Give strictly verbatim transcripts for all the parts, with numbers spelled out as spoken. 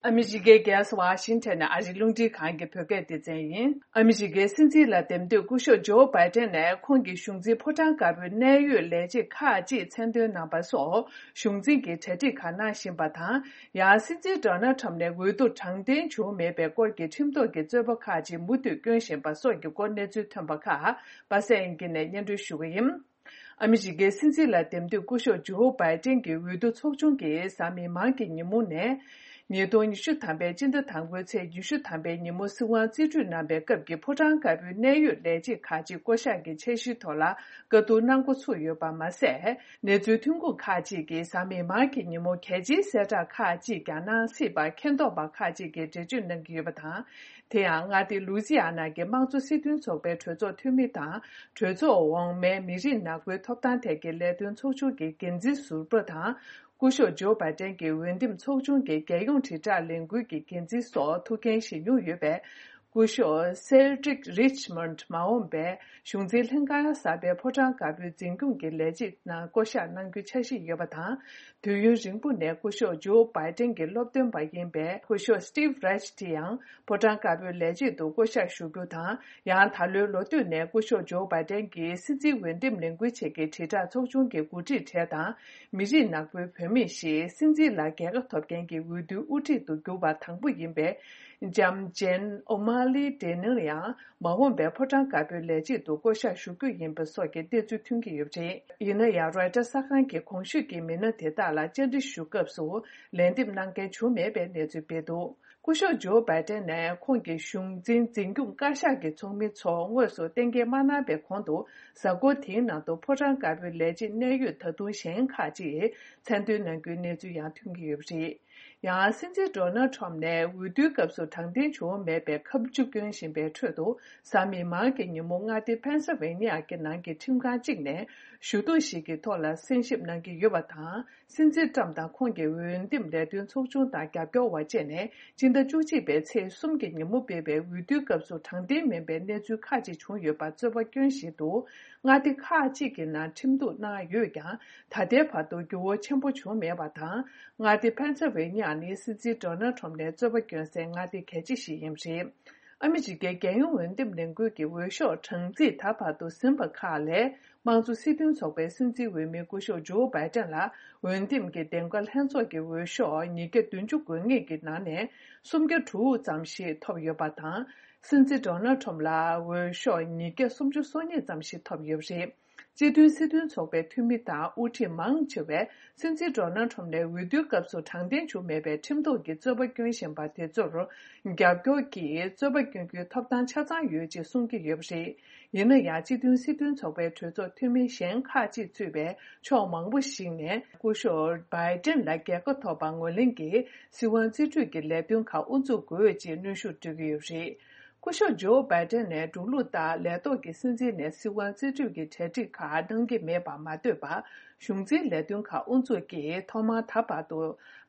ཨ་མི་རི་ཀའི་རྒྱལ་ས་ཝ་ཤིང་ཊོན་ནས་ཨ་རིའི་རླུང་འཕྲིན་ཁང་གི་བོད་སྐད་སྡེ་ཚན་ཡིན། ཨ་མི་རི་ཀའི་སྲིད་འཛིན་ལ་འདེམས་ཐོན་སྐུ་ཞབས་ཇོ་བྷའི་ཏན་ནས་ཁོང་གི་གཞུང་འཛིན་ཕོ་བྲང་དཀར་པོའི་གནད་ཡོད་ལས་བྱེད་ཁག་ཅིག་མཚན་འདོན་གནང་པ་སོགས་གཞུང་འཛིན་གྱི་གྲ་སྒྲིག་ཁག་གནང་བཞིན་པ་དང་། ཡང་སྲིད་འཛིན་ཌོ་ནལ་ཁྲམ་ནས་འོས་བསྡུ་དྲང་བདེན་བྱུང་མེད་པའི་སྐོར་གྱི་ཁྲིམས་ཐོག་གི་རྩོད་པ་ཁག་ཅིག་མུ་མཐུད་བསྐྱོན་བཞིན་པ་སོགས་ཀྱི་སྐོར་གནས་ཚུལ་ཐོན་པ་ཁག་པ་སངས་དབྱངས་སྐྱིད་ནས་སྙན་སྒྲོན་ཞུ་གི་ཡིན། ཨ་མི་རི་ཀའི་སྲིད་འཛིན་ལ་འདེམས་ཐོན་སྐུ་ཞབས་ཇོ་བྷའི་ཏན་གྱི་འོས་བསྡུ་ཚོགས་ཆུང་གིས་གཟའ་མིག་དམར་གྱི་ཉིན་མོ་ནས། ཉིས་སྟོང་ཉི་ཤུ་ཐམ་པའི་སྤྱི་ཟླ་དང་པོའི་ཚེས་ཉི་ཤུ་ཐམ་པའི་ཉིན་མོ་སྲིད་དབང་རྩིས་སྤྲོད་གནང་པའི་སྐབས་ཀྱི་ཕོ་བྲང་དཀར་པོའི་གནད་ཡོད་ལས་བྱེད་ཁག་ཅིག་བསྐོ་གཞག་གི་འཆར་གཞིའི་ཐོག་ལ་བཀའ་བསྡུར་གནང་འགོ་ཚུགས་ཡོད་པ་མ་ཟད། གནས་ཚུལ་ཐོན་ཁུངས་ཁག་ཅིག་གིས་གཟའ་མིག་དམར་གྱི་ཉིན་མོ་གལ་ཆེའི་གསལ་བསྒྲགས་ཁག་ཅིག་ཀྱང་གནང་སྲིད་པ་མཁྱེན་རྟོགས་པ་ཁག་ཅིག་གིས་འགྲེལ་བརྗོད་གནང་གི་ཡོད་པ་དང་། དེ་ཡང་མངའ་སྡེ་ལུའུ་ཛི་ཡ་ན་གྱི་དམངས་གཙོ་སྲིད་དོན་ཚོགས་པའི་གྲོས་ཚོགས་འཐུས་མི་དང་། གྲོས་ཚོགས་འོག་མའི་མི་རིགས་ནག་པོའི་ཐོབ་ཐང་ཐད་ཀྱི་ལས་དོན་ཚོགས་ཆུང་གི་འགན་འཛིན་ཟུར་པ་དང་། སྐུ་ཞབས་ཇོ་བྷའི་ཏན་གྱི་འོས་འདེམས་ཚོགས་ཆུང་གི་རྒྱལ་ཡོངས་དྲིལ་བསྒྲགས་ལས་འགུལ་གྱི་འགན་འཛིན་སོགས་ཐུགས་འགན་བཞེས་མྱོང་ཡོད་པས། སྐུ་ཞབས་Cedric Richmond མ་འོངས་པའི་གཞུང་འཛིན་ལྷན་ཁང་གསར་པའི་ཕོ་བྲང་དཀར་པོའི་འཛིན་སྐྱོང་གི་ལས་བྱེད་ནང་བསྐོ་གཞག་གནང་རྒྱུའི་འཆར་གཞི་ཡོད་པ་དང་། དུས་ཡུན་རིང་པོ་ནས་སྐུ་ཞབས་ཇོ་བྷའི་ཏན་གྱི་སློབ་སྟོན་པ་ཡིན་པའི་སྐུ་ཞབས་Steve Reich དེ་ཡང་ཕོ་བྲང་དཀར་པོའི་ལས་བྱེད་དུ་བསྐོ་གཞག་ཞུ་རྒྱུ་དང་། ཡང་ད་ལོའི་ལོ་སྟོད་ནས་སྐུ་ཞབས་ཇོ་བྷའི་ཏན་གྱིས་སྲིད་འཛིན་འོས་འདེམས་ལས་འགུལ་ཆེད་ཀྱི་དྲིལ་བསྒྲགས་ཚོགས་ཆུང་གི་འགོ་ཁྲིད་གྲས་དང་། མི་རིགས་ནག་པོའི་བུད་མེད་ཞིག་སྲིད་འཛིན་ལ་རྒྱལ་ཁ་ཐོབ་མཁན་གྱི་འོས་བསྡུའི་དབུ་ཁྲིད་དུ་གྱུར་པ་དང་པོ་ཡིན་པའི་ལྕམ་ཇེན་ཨོ་མ་ལི་ཏེ་ནིར་ཡང་མ་འོངས་པའི་ཕོ་བྲང་དཀར་པོའི་ལས་བྱེད་དུ་བསྐོ་གཞག་ཞུ་རྒྱུ་ཡིན་པ་སོགས་ཀྱི་གནས་ཚུལ་ཐོན་གྱི་ཡོད་པ་རེད། ཡིན་ན་ཡང་Reuters གསར་ཁང་གིས་གོང་ཞུས་ཀྱི་མི་སྣ་དེ་དག་ལ་བཅར་འདྲི་ཞུ་སྐབས་སུ་ལན་འདེབས་གནང་མཁན་བྱུང་མེད་པའི་གནས་ཚུལ་སྤེལ་འདུག་སྐུ་ཞབས་ཇོ་བྷའི་ཏན་ནས་ཁོང་གི་གཞུང་འཛིན་འཛིན་སྐྱོང་བཀའ་ཤག་གི་ཚོགས་མི་ཚོ་དངོས་སུ་གཏན་འཁེལ་མ་གནང་པའི་གོང་དུ། གཟའ་འཁོར་དེའི་ནང་དུ་ཕོ་བྲང་དཀར་པོའི་ལས་བྱེད་གནད་ཡོད་ད་དུང་གཞན་ཁག་ཅིག་མཚན་འདོན་གནང་རྒྱུའི་གནས་ཚུལ་ཡང་ཐོན་གྱི་ཡོད་པ་རེད། ཡང་སྲིད་འཛིན་ཌོ་ནལ་ཁྲོམ་ནས་འོས་བསྡུའི་སྐབས་སུ་དྲང་བདེན་བྱུང་མེད་པའི་ཁ་མཆུ་བསྐྱོན་བཞིན་པའི་ཁྲོད་དུ། གཟའ་མིག་དམར་གྱི་ཉིན་མོ་མངའ་སྡེ་ཕེན་སིལ་ཝེ་ནི་ཡ་གི་ནང་གི་ཁྲིམས་ཁང་གཅིག་ནས་ཞུ་གཏུག་ཞིག་གི་ཐོག་ལ་གསན་ཞིབ་གནང་གི་ཡོད་པ་དང་། སྲིད་འཛིན་ཊྲམ་དང་ཁོང་གི་འོས་འདེམས་ལས་དོན་ཚོགས་ཆུང་དང་རྒྱབ་སྐྱོར་བ་བཅས་ནས་སྤྱི་ཟླ་བཅུ་གཅིག་པའི་ཚེས་གསུམ་གྱི་ཉིན་མོ་སྤེལ་བའི་འོས་བསྡུའི་སྐབས་སུ་དྲང་བདེན་མིན་པའི་གནས་ཚུལ་ཁག་ཅིག་བྱུང་ཡོད་པར་རྩོད་པ་སྐྱོན་བཞིན་དུ། མངའ་སྡེ་ཁག་ཅིག་གི་ནང་ཁྲིམས་གཏུག་གནང་ཡོད་ཀྱང་། ད་ལྟའི་བར་དུ་འགྱུར་བ་ཆེན་པོ་བྱུང་མེད་པ་དང་། མངའ་སྡེ་ཕེན་སིལ་ཝེ་ནི་ཡ་ནི་སྲིད་འཛིན་ཌོ་ནལ་ཁྲོམ་ནས་རྩོད་པ་སྐྱོན་སའི་མངའ་སྡེ་གལ་ཆེ་ཞིག་ཡིན་པ་རེད། ཨ་མི་རི་ཀའི་རྒྱལ་ཡོངས་འོས་འདེམས་ལས་འགུལ་གྱི་འོས་ཤོག་གྲངས་རྩིས་ད་བར་དུ་ཟིན་པ་ཁག་ལས། དམངས་གཙོ་སྲིད་དོན་ཚོགས་པའི་སྲིད་འཛིན་འོས་མི་སྐུ་ཞབས་ཇོ་བྷའི་ཏན་ལ་འོས་འདེམས་ཀྱི་འདེམས་ཀ་ལྷན་ཚོགས་ཀྱི་འོས་ཤོག་ཉིས་བརྒྱ་བདུན་ཅུ་དགོས་ངེས་ཀྱི་ནང་ནས་སུམ་བརྒྱ་དྲུག་ཙམ་ཞིག་ཐོབ་ཡོད་པ་དང་། སྲིད་འཛིན་ཌོ་ནལ་ཁྲོམ་ལ་འོས་ཤོག་ཉིས་བརྒྱ་སུམ་ཅུ་སོ་གཉིས་ཙམ་ཞིག་ཐོབ་ཡོད་པ་རེད། སྤྱི་མཐུན་སྲིད་དོན་ཚོགས་པའི་འཐུས་མི་དང་དབུ་ཁྲིད་མང་ཆེ་བས། སྲིད་འཛིན་ཌོ་ནལ་ཁྲོམ་ནས་འོས་བསྡུའི་སྐབས་སུ་དྲང་བདེན་བྱུང་མེད་པའི་ཁྲིམས་ཐོག་གི་རྩོད་པ་སྐྱོན་བཞིན་པ་དེ་ཚོར་རྒྱབ་སྐྱོར་གྱིས་རྩོད་པ་སྐྱོན་རྒྱུའི་ཐོབ་ཐང་ཆ་ཚང་ཡོད་ཅེས་གསུང་གི་ཡོད་པ་རེད། ཡིན་ན་ཡང་སྤྱི་མཐུན་སྲིད་དོན་ཚོགས་པའི་གྲོས་ཚོགས་འཐུས་མི་གཞན་ཁག་ཅིག་གཙོས་པའི་ཕྱོགས་མང་པོ་ཞིག་ནས་སྐུ་ཞབས་བྷའི་ཏན་ལ་རྒྱལ་ཁ་ཐོབ་པར་ངོས་ལེན་གྱིས་སྲིད་དབང་རྩིས་སྤྲོད་ཀྱི་ལས་དོན་ཁག་དབུ་འཛུགས་དགོས་ཅེས་གནོན་ཤུགས་སྤྲོད་ཀྱི་ཡོད་པ་རེད། སྐུ་ཞབས་ཇོ་བྷའི་ཏན་ནས་འབྲུག་ལུགས་ལྟར་ལས་ཐོག་གི་སྲིད་འཛིན་ནས་སྲིད་དབང་རྩིས་སྤྲོད་ཀྱི་གྲ་སྒྲིག་ཁག་གནང་གི་མེད་པར་མ་ལྟོས་པར། གཞུང་འཛིན་ལས་དོན་ཁག་དབུ་འཛུགས་ཀྱིས་ཐོག་མར་ད་བར་དུ་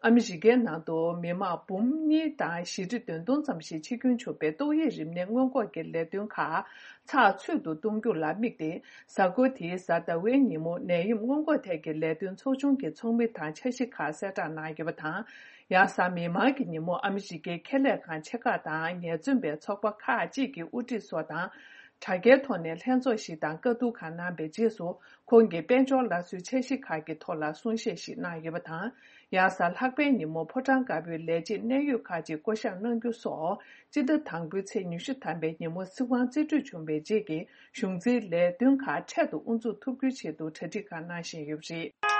ཨ་མི་རི་ཀའི་ནང་དུ་མི་མང་འབུམ་གཉིས་དང་བཞི་ཁྲི་བདུན་སྟོང་ཙམ་ཞིག་འཆི་སྐྱོན་བྱུང་བའི་ཏོག་དབྱིབས་རིམས་ནད་སྔོན་འགོག་གི་ལས་དོན་ཁག་ཚགས་ཚུད་དུ་གཏོང་རྒྱུ་ལ་དམིགས་ཏེ། གཟའ་འཁོར་དེའི་གཟའ་ཟླ་བའི་ཉིན་མོ་ནད་ཡམས་སྔོན་འགོག་ཐད་ཀྱི་ལས་དོན་ཚོགས་ཆུང་གི་ཚོགས་མི་དང་འཆར་གཞི་ཁག་གསལ་བསྒྲགས་གནང་ཡོད་པ་དང་། ཡང་གཟའ་མིག་དམར་གྱི་ཉིན་མོ་ཨ་མི་རི་ཀའི་ཁེ་ལས་ཁང་ཆེ་ཁག་དང་ངལ་རྩོལ་པའི་ཚོགས་པ་ཁག་ཅིག་གི་དབུ་ཁྲིད་སོགས་དང་། དྲ་རྒྱའི་ཐོག་ནས་ལྷན་ཚོགས་ཤིག་དང་བཀའ་བསྡུར་ཁག་གནང་པའི་རྗེས་སུ། ཁོང་གིས་དཔལ་འབྱོར་སླར་གསོའི་འཆར་གཞི་ཁག་གི་ཐོག་ལ་གསུང་བཤད་ཞིག་གནང་ཡོད་པ་དང་། ཡང་གཟའ་ལྷག་པའི་ཉིན་མོ་ཕོ་བྲང་དཀར་པོའི་ལས་བྱེད་གནད་ཡོད་ཁག་ཅིག་བསྐོ་གཞག་གནང་རྒྱུ་སོགས། སྤྱི་ཟླ་དང་པོའི་ཚེས་ཉི་ཤུ་ཐམ་པའི་ཉིན་མོ་སྲིད་དབང་རྩིས་སྤྲོད་བྱུང་བའི་རྗེས་ཀྱི་གཞུང་འཛིན་ལས་དོན་ཁག་འཕྲལ་དུ་དབུ་འཛུགས་ཐུབ་རྒྱུའི་ཆེད་དུ་གྲ་སྒྲིག་ཁག་གནང་བཞིན་ཡོད་པ་རེད།